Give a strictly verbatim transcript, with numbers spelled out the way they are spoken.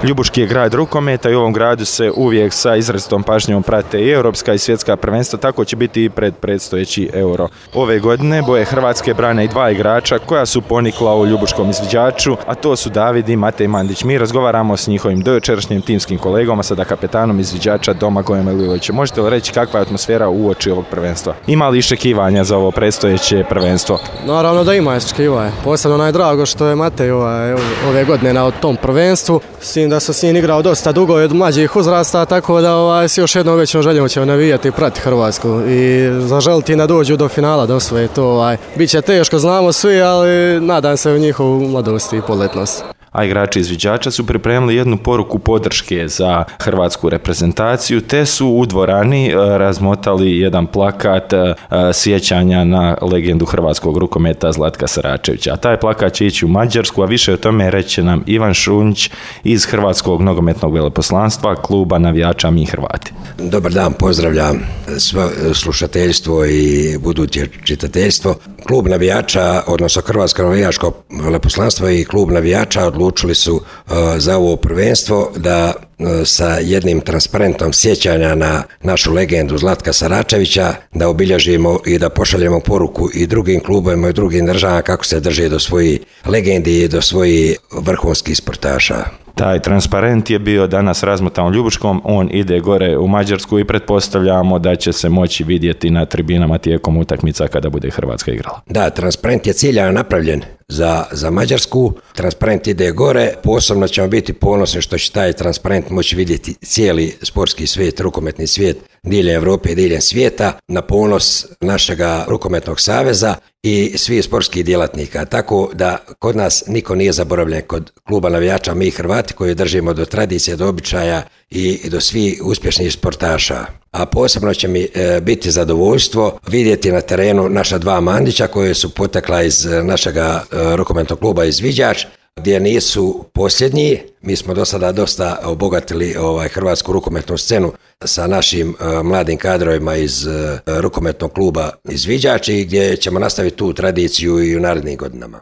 Ljubuški je grad rukometa i u ovom gradu se uvijek sa izrazitom pažnjom prate i europska i svjetska prvenstva, tako će biti i pred predstojeći Euro. Ove godine boje Hrvatske brane i dva igrača koja su ponikla u ljubuškom izviđaču, a to su David i Matej Mandić. Mi razgovaramo s njihovim dojučerašnjim timskim kolegom, a sada kapetanom izviđača Domagojem Lilovićem. Možete li reći kakva je atmosfera uoči ovog prvenstva? Ima li iščekivanja za ovo predstojeće prvenstvo? Naravno da ima iščekivanja. Posebno najdrago što je Matej ovaj, ove godine na tom prvenstvu. S tim da sam s njim igrao dosta dugo od mlađih uzrasta, tako da ovaj, s još jednom većom željom ćemo navijati i prati Hrvatsku i zaželiti da dođu do finala, da osvoje to. Ovaj. Biće teško, znamo svi, ali nadam se u njihovu mladost i poletnost. A igrači izviđača su pripremili jednu poruku podrške za hrvatsku reprezentaciju, te su u dvorani razmotali jedan plakat sjećanja na legendu hrvatskog rukometa Zlatka Saračevića. A taj plakat će ići u Mađarsku, a više o tome reće nam Ivan Šunjić iz Hrvatskog nogometnog veleposlanstva, kluba navijača Mi Hrvati. Dobar dan, pozdravljam svo slušateljstvo i buduće čitateljstvo. Klub navijača, odnosno Hrvatsko navijačko veleposlanstvo i klub navijača odlučili su uh, za ovo prvenstvo da uh, sa jednim transparentom sjećanja na našu legendu Zlatka Saračevića da obilježimo i da pošaljemo poruku i drugim klubovima i drugim državama kako se drže do svojih legendi i do svojih vrhunskih sportaša. Taj transparent je bio danas razmotan u Ljubuškom, on ide gore u Mađarsku i pretpostavljamo da će se moći vidjeti na tribinama tijekom utakmica kada bude Hrvatska igrala. Da, transparent je ciljano napravljen za, za Mađarsku, transparent ide gore, posebno ćemo biti ponosni što će taj transparent moći vidjeti cijeli sportski svijet, rukometni svijet, diljem Europe i diljem svijeta, na ponos našega rukometnog saveza i svih sportskih djelatnika. Tako da kod nas niko nije zaboravljen, kod kluba navijača Mi Hrvati koji držimo do tradicije, do običaja i do svih uspješnih sportaša. A posebno će mi e, biti zadovoljstvo vidjeti na terenu naša dva Mandića koje su potekla iz našega e, rukometnog kluba Izviđač, gdje nisu posljednji. Mi smo do sada dosta obogatili ovaj, hrvatsku rukometnu scenu sa našim uh, mladim kadrovima iz uh, rukometnog kluba Izviđač i gdje ćemo nastaviti tu tradiciju i u narednim godinama.